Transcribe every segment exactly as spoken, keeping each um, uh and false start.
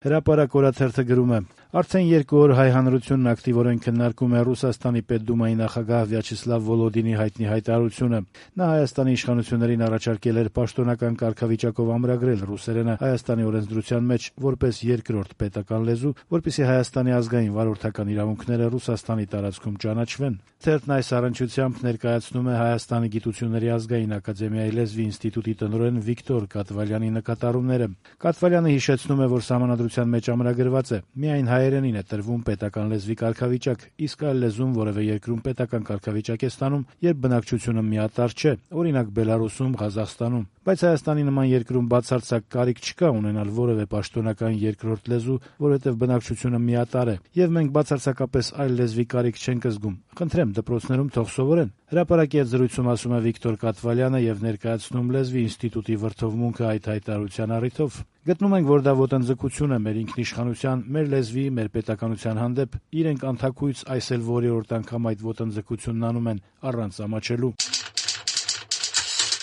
Հրապարակ օրաթերթը գրում է. Արդեն երկու օր հայ հանրությունն ակտիվորեն քննարկում է Ռուսաստանի Պետդումայի նախագահ Վյաչեսլավ Վոլոդինի հայտնի հայտարարությունը։ Նա Հայաստանի իշխանություններին առաջարկել էր պաշտոնական կարգավիճակով ամրագրել ռուսերենը Հայաստանի օրենսդրության մեջ որպես երկրորդ պետական լեզու, որպեսզի Հայաստանի ազգային վարորդական իրավունքները Ռուսաստանի տարածքում ճանաչվեն։ Թերթն այս առնչությամբ ներկայացնում է Հայաստանի գիտությունների ազգային ակադեմիայի լեզվի ինստիտուտի տնօրեն Վիկտոր Կատվալյանի նկատառումները։ Կատվալյանը հիշեցնում է, որ սահմանադրության մեջ ամրագրված է միայն հայերենին է տրվում պետական լեզվի կարգավիճակ, իսկ այլ լեզուն որևէ երկրում պետական կարգավիճակ է ստանում, երբ բնակչությունը միատարր չէ, օրինակ Բելարուսում, Ղազախստանում։ Բայց Հայաստանի նման երկրում բացարձակ կարիք չկա ունենալ որևէ պաշտոնական երկրորդ լեզու, որովհետև բնակչությունը միատարր է, եւ մենք բացարձակապես այլ լեզվի կարիք չենք զգում։ Խնդրեմ, դպրոցներում թող սովորեն։ Հրապարակի հետ զրույցում ասում է Վիկտոր Կատվալյանը եւ ներկայացնում լեզվի ինստիտուտի վրթովմունքը այդ հայտարարության առիթով։ Գտնում ենք, որ դա ոտնձգություն է մեր ինքնիշխանության, մեր լեզվի, մեր պետականության հանդեպ։ Իրենք անթաքույց այս էլ որերորդ անգամ այդ ոտնձգությունն անում են առանց ամաչելու։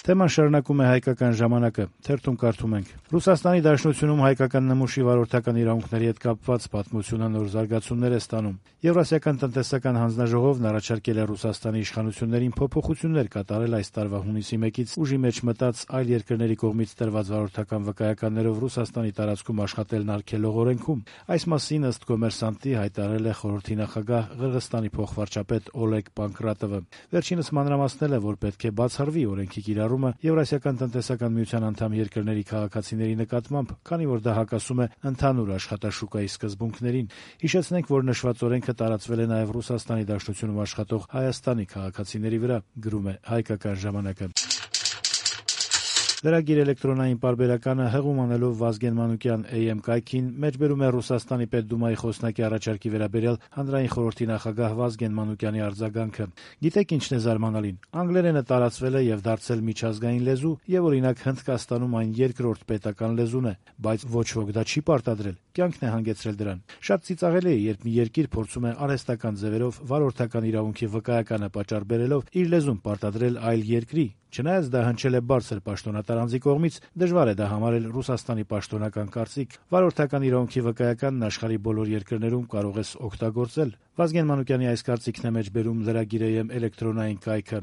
Թեման շարունակում է Հայկական ժամանակը, թերթում կարդում ենք. Ռուսաստանի Դաշնությունում հայկական նմուշի վարորդական իրավունքների հետ կապված պատմությունը նոր զարգացումներ է ստանում։ Եվրասիական տնտեսական հանձնաժողովն առաջարկել է Ռուսաստանի իշխանություններին փոփոխություններ կատարել այս տարվա հունիսի մեկից ուժի մեջ մտած այլ երկրների կողմից տրված վարորդական վկայականներով Ռուսաստանի տարածքում աշխատելն արգելող օրենքում։ Այս մասին ըստ Կոմերսանտի հայտարարել է խորհրդի նախագահ Ղրղստանի փոխվարչապետ Օլեգ Պանկրատովը։ Վերջինս մանրամասնել է, որ պետք է բացառվի օրենքի կիրառումը Եվրասիական տնտեսական միության անդամ երկրների քաղաքացիների նկատմամբ, քանի որ դա հակասում է ընդհանուր աշխատաշուկայի սկզբունքներին։ Հիշեցնենք, որ նշված օրենքը տարածվել է նաև Ռուսաստանի Դաշնությունում աշխատող Հայաստանի քաղաքացիների վրա, գրում է Հայկական ժամանակը։ Լրագիր էլեկտրոնային պարբերականը հղում անելով Վազգեն Մանուկյան Էյ Էմ կայքին մեջբերում է Ռուսաստանի Պետդումայի խոսնակի առաջարկի վերաբերյալ հանրային խորհրդի նախագահ Վազգեն Մանուկյանի արձագանքը։ Գիտեք ինչն է զարմանալին։ Անգլերենը տարածվել է եւ դարձել միջազգային լեզու, եւ օրինակ Հնդկաստանում այն երկրորդ պետական լեզուն է, բայց ոչ ոք դա չի պարտադրել։ Կյանքն է հանգեցրել դրան։ Շատ ծիծաղելի է, երբ մի երկիր փորձում է արհեստական ձևերով վարորդական իրավունքի վկայականը պատճառ բերելով իր լեզուն պարտադրել այլ երկրի։ Չնայած դա հնչել է բարձր պաշտոնատար անձի կողմից, դժվար է դա համարել Ռուսաստանի պաշտոնական կարծիք։ Վարորդական իրավունքի վկայականն աշխարհի բոլոր երկրներում կարող ես օգտագործել։ Վազգեն Մանուկյանի այս կարծիքն է մեջբերում Լրագիր Էյ Էմ էլեկտրոնային կայքը։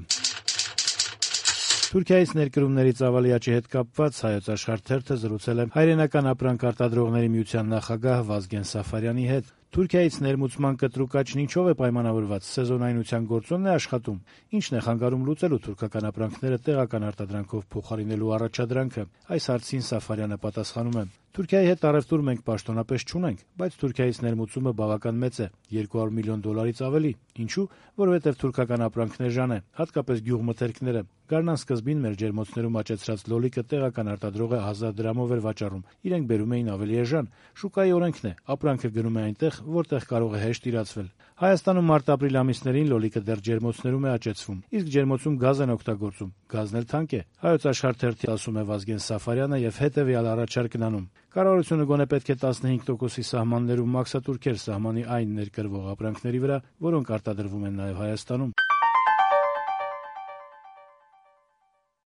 Թուրքիայից ներկրումների ծավալի աճի հետ կապված Հայոց Աշխարհ թերթը զրուցել է հայրենական ապրանք արտադրողների միության նախագահ Վազգեն Սաֆարյանի հետ։ Թուրքիայից ներմուծման կտրուկ աճն ինչով է պայմանավորված, սեզոնայնության գործոնն է աշխատում, ինչն է խանգարում լուծելու թուրքական ապրանքները տեղական արտադրանքով փոխարինելու առաջադրանքը։ Այս հարցին Սաֆարյանը պատասխանում է. Թուրքիայի հետ առևտուր մենք պաշտոնապես չունենք, բայց Թուրքիայից ներմուծումը բավական մեծ է՝ երկու հարյուր միլիոն դոլարից ավելի։ Ինչու՞, որովհետև թուրքական ապրանքն էժան է, հատկապես գյուղմթերքները։ Գարնան սկզբին մեր ջերմոցներում աճեցրած լոլիկը տեղական արտադրողը հազար դրամով էր վաճառում, իրենք բերում էին ավելի էժան։ Շուկայի օրենքն է, ապրանքը գնում է այնտեղ, որտեղ կարող է հեշտ իրացվել։ Հայաստանում մարտ-ապրիլ ամիսներին լոլիկը դեռ ջերմոցներում է աճեցվում, իսկ ջերմոցում գազ են օգտագործում։ Գազն էլ թանկ է։ Հայոց Աշխարհ թերթի ասում է Վազգեն Սաֆարյանը եւ հետեւյալ առաջարկն անում. Կառավարությունը գոնե պետք է տասնհինգ տոկոսի սահմաններում մաքսատուրքեր սահմանի այն ներկրվող ապրանքների վրա, որոնք արտադրվում են նաեւ Հայաստանում։